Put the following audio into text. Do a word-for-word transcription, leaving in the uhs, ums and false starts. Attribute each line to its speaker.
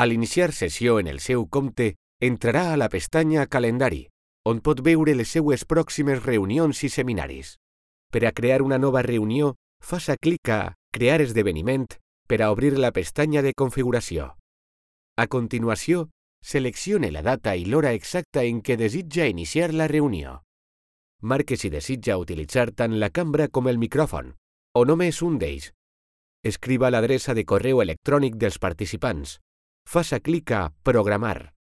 Speaker 1: A l'iniciar sessió en el seu compte, entrarà a la pestanya Calendari, on pot veure les seues pròximes reunions i seminaris. Per a crear una nova reunió, faça clic a Crear esdeveniment per a obrir la pestanya de configuració. A continuació, seleccione la data i l'hora exacta en què desitja iniciar la reunió. Marque si desitja utilitzar tant la cambra com el micròfon, o només un d'ells. Escriva l'adreça de correu electrònic dels participants. Faça clic a Programar.